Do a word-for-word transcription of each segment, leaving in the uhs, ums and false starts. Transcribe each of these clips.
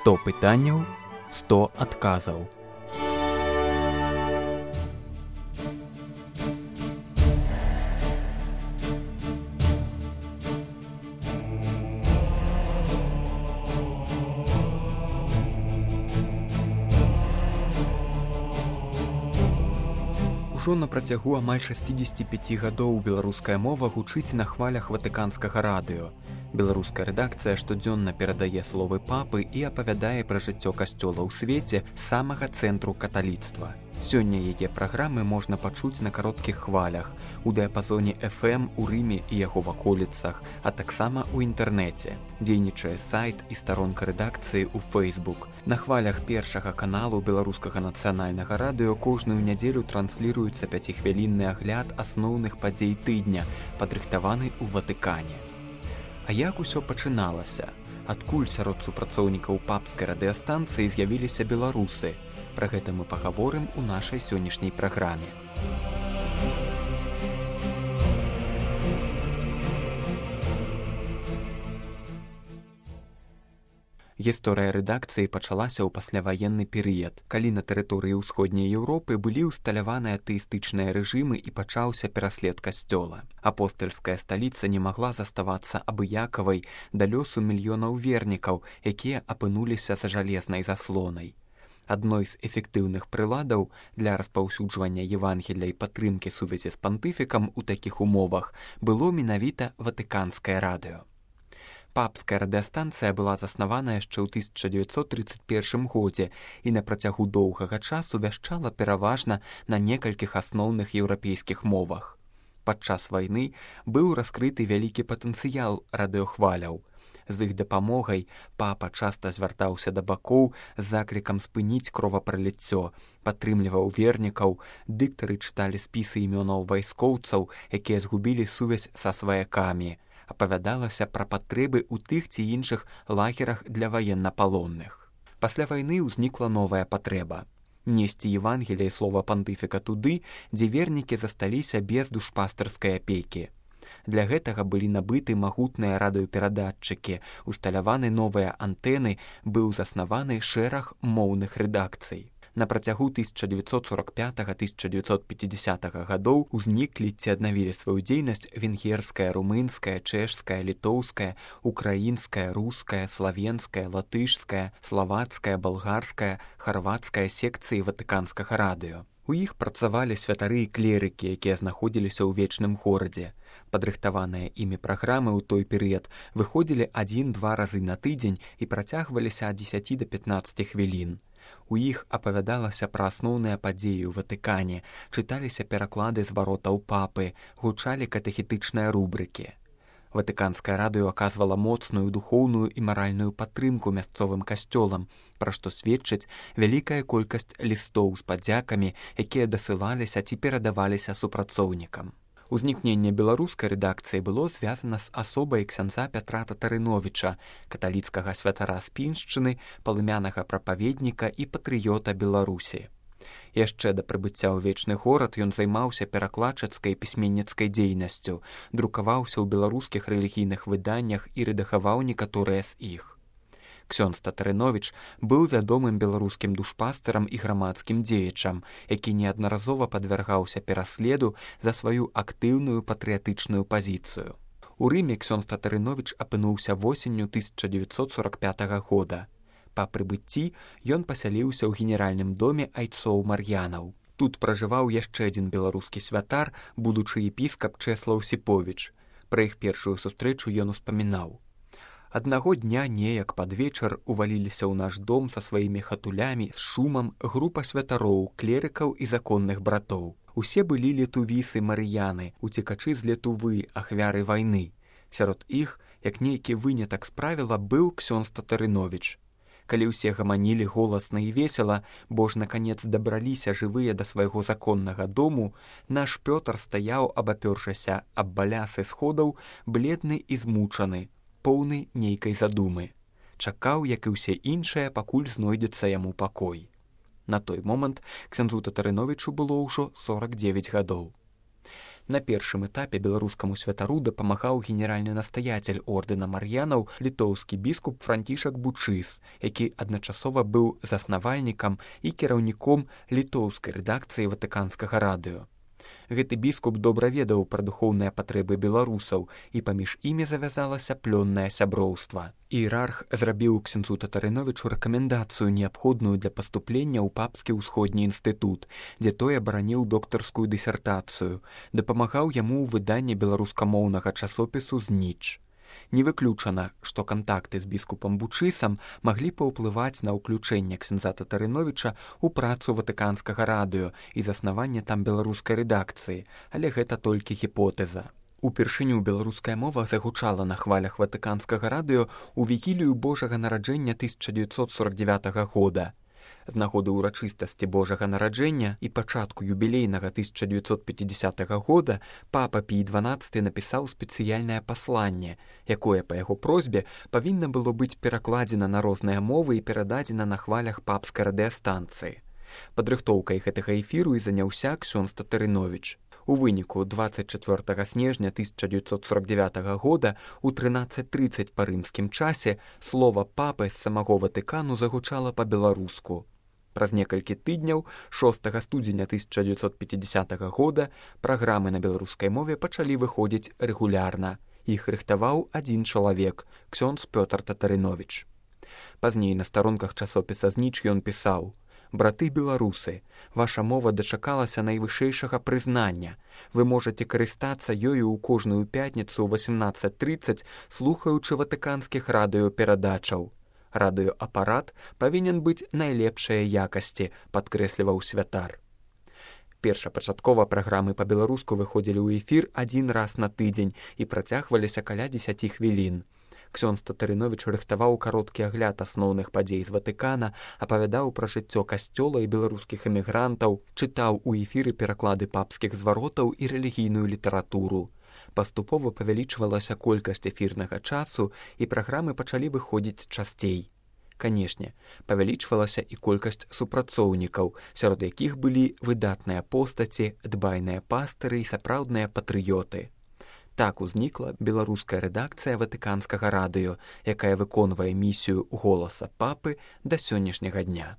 сто пытанняў, сто адказаў. Ужо на працягу амаль шэсцідзесят пяць гадоў беларуская мова гучыць на хвалях ватыканскага радыё. Беларуская рэдакцыя штодзённа перадае словы папы і апавядае пра жыццё касцёла ў свеце з самага цэнтру каталіцтва. Сёння яе праграмы можна пачуць на кароткіх хвалях, у дыяпазоне эф эм у Рыме і яго ваколіцах, а таксама ў інтэрнэце. Дзейнічае сайт і старонка рэдакцыі ў Facebook. На хвалях першага каналу беларускага нацыянальнага радыё кожную нядзелю трансліруецца пяцігвялінны агляд асноўных падзей тыдня, падрыхтаваны ў Ватыкане. А як усё пачыналася? Адкуль сярод супрацоўнікаў папскай радыёстанцыі з'явіліся беларусы? Пра гэта мы пагаворым у нашай сённяшняй праграме. Гісторыя рэдакцыі пачалася ў пасляваенны перыяд, калі на тэрыторыі ўсходняй Еўропы былі ўсталяваны атэістычныя рэжымы і пачаўся пераслед касцёла. Апостальская сталіца не магла заставацца абыякавай да лёсу мільёнаў вернікаў, якія апынуліся за жалезнай заслонай. Адной з эфектыўных прыладаў для распаўсюджвання Евангелля і падтрымкі сувязі з пантыфікам у такіх умовах было менавіта ватыканскае радыё. Папская радыёстанцыя была заснавана яшчэ ў тысяча дзевяцьсот трыццаць першым годзе і на працягу доўгага часу вяшчала пераважна на некалькіх асноўных еўрапейскіх мовах. Падчас вайны быў раскрыты вялікі патэнцыял радыёхваляў. З іх дапамогай папа часта звяртаўся да бакоў з заклікам спыніць кровапраліццё, падтрымліваў вернікаў, дыктары чыталі спісы імёнаў вайскоўцаў, якія згубілі сувязь са сваякамі, апавядалася пра патрэбы ў тых ці іншых лагерах для ваеннапалонных. Пасля вайны ўзнікла новая патрэба несці Евангелія і слова пантыфіка туды, дзе вернікі засталіся без душпастарскай апекі. Для гэтага былі набыты магутныя радыёперадатчыкі, усталяваны новыя антэны, быў заснаваны шэраг моўных рэдакцый. На працягу тысяча дзевяцьсот сорок пятага — тысяча дзевяцьсот пяцідзясятага гадоў узніклі ці аднавілі сваю дзейнасць венгерская, румынская, чэшская, літоўская, украінская, руская, славенская, латышская, славацкая, балгарская, харвацкая секцыі ватыканскага радыё. У іх працавалі святары і клерыкі, якія знаходзіліся ў вечным горадзе. Падрыхтаваныя імі праграмы ў той перыяд выходзілі адзін-два разы на тыдзень і працягваліся ад дзесяці да пятнаццаці хвілін. У іх апавядалася пра асноўныя падзеі ў Ватыкане, чыталіся пераклады зваротаў папы, гучалі катэхетычныя рубрыкі. Ватыканскае радыё аказвала моцную духоўную і маральную падтрымку мясцовым касцёлам, пра што сведчыць вялікая колькасць лістоў з падзякамі, якія дасылаліся ці перадаваліся супрацоўнікам. Узнікненне беларускай рэдакцыі было звязана з асобай ксяндза Пятра Татарыновіча, каталіцкага святара з Піншчыны, палымянага прапаведніка і патрыёта Беларусі. Яшчэ да прыбыцця ў вечны горад ён займаўся перакладчыцкай пісьменніцкай дзейнасцю, друкаваўся ў беларускіх рэлігійных выданнях і рэдагаваў некаторыя з іх. Ксёндз Татарыновіч быў вядомым беларускім душпастарам і грамадскім дзеячам, які неаднаразова падвяргаўся пераследу за сваю актыўную патрыятычную пазіцыю. У Рыме ксёндз Татарыновіч апынуўся восенню тысяча дзевяцьсот сорак пятага года. Па прыбыцці ён пасяліўся ў генеральным доме айцоў Мар'янаў. Тут пражываў яшчэ адзін беларускі святар, будучы епіскап Чэслаў Сіповіч. Пра іх першую сустрэчу ён успамінаў. Аднаго дня неяк пад вечар уваліліся ў наш дом са сваімі хатулямі з шумам група святароў, клерыкаў і законных братоў. Усе былі летувісы Марыяны, уцекачы з Летувы, ахвяры вайны. Сярод іх, як нейкі вынятак з правіла, быў ксёндз Татарыновіч. Калі ўсе гаманілі голасна і весела, бо ж наканец дабраліся жывыя да свайго законнага дому, наш Пётр стаяў, абапёршася аб балясы сходаў, бледны і змучаны, поўны нейкай задумы. Чакаў, як і ўсе іншыя, пакуль знойдзецца яму пакой. На той момант ксяндзу Татарыновічу было ўжо сорак дзевяць гадоў. На першым этапе беларускаму святару дапамагаў генеральны настаяцель ордэна мар'янаў літоўскі біскуп Францішак Бучыс, які адначасова быў заснавальнікам і кіраўніком літоўскай рэдакцыі ватыканскага радыё. Гэты біскуп добра ведаў пра духоўныя патрэбы беларусаў, і паміж імі завязалася плённае сяброўства. Іерарх зрабіў ксяндзу Татарыновічу рэкамендацыю, неабходную для паступлення ў папскі ўсходні інстытут, дзе той абараніў доктарскую дысертацыю, дапамагаў яму ў выданні беларускамоўнага часопісу «Зніч». Не выключана, што кантакты з біскупам Бучысам маглі паўплываць на ўключэнне ксяндза Татарыновіча ў працу ватыканскага радыё і заснаванне там беларускай рэдакцыі, але гэта толькі гіпотэза. Упершыню беларуская мова загучала на хвалях ватыканскага радыё ў вігілію Божага нараджэння тысяча дзевяцьсот сорак дзевятага года. З нагоды ўрачыстасці Божага нараджэння і пачатку юбілейнага тысяча дзевяцьсот пяцідзясятага года папа Пій дванаццаты напісаў спецыяльнае пасланне, якое па яго просьбе павінна было быць перакладзена на розныя мовы і перададзена на хвалях папскай радыёстанцыі. Падрыхтоўкай гэтага эфіру і заняўся ксёндз Татарыновіч. У выніку дваццаць чацвёртага снежня тысяча дзевяцьсот сорак дзевятага года у трынаццаць трыццаць па рымскім часе слова папы з самого Ватыкану загучала па-беларуску. Праз некалькі тыдняў, шостага студзеня тысяча дзевяцьсот пяцідзясятага года, праграмы на беларускай мове пачалі выходзіць рэгулярна. Іх рыхтаваў адзін чалавек – ксёндз Пётр Татарыновіч. Пазней на старонках часопіса «Зніч» ён пісаў: «Браты беларусы, ваша мова дачакалася найвышэйшага прызнання. Вы можаце карыстацца ёю ў кожную пятніцу ў васемнаццаць трыццаць, слухаючы ватыканскіх радыёперадачаў. Радыёапарат павінен быць найлепшай якасці», падкрэсліваў святар. Першапачаткова праграмы па-беларуску выходзілі ў эфір адзін раз на тыдзень і працягваліся каля дзесяці хвілін. Ксёндз Татарыновіч рыхтаваў кароткі агляд асноўных падзей з Ватыкана, апавядаў пра жыццё касцёла і беларускіх эмігрантаў, чытаў у эфіры пераклады папскіх зваротаў і рэлігійную літаратуру. Паступова павялічвалася колькасць эфірнага часу, і праграмы пачалі выходзіць часцей. Канешне, павялічвалася і колькасць супрацоўнікаў, сярод якіх былі выдатныя постаці, дбайныя пастыры і сапраўдныя патрыёты. Так узнікла беларуская рэдакцыя ватыканскага радыё, якая выконвае місію голаса папы да сённяшняга дня.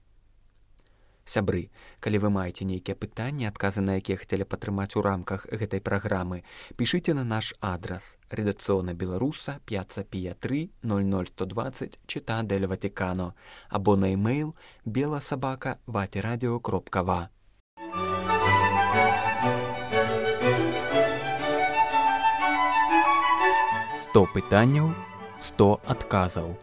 Сябры, калі вы маеце нейкія пытанні, адказы на якія хацелі падтрымаць у рамках гэтай праграмы, пішыце на наш адрас редакцыёна беларуса п'яцца пія тры ноль ноль сто дваццаць Чита дель Ватикано або на e-mail беласабака ватирадио кропка ва. сто пытанняў, сто адказаў.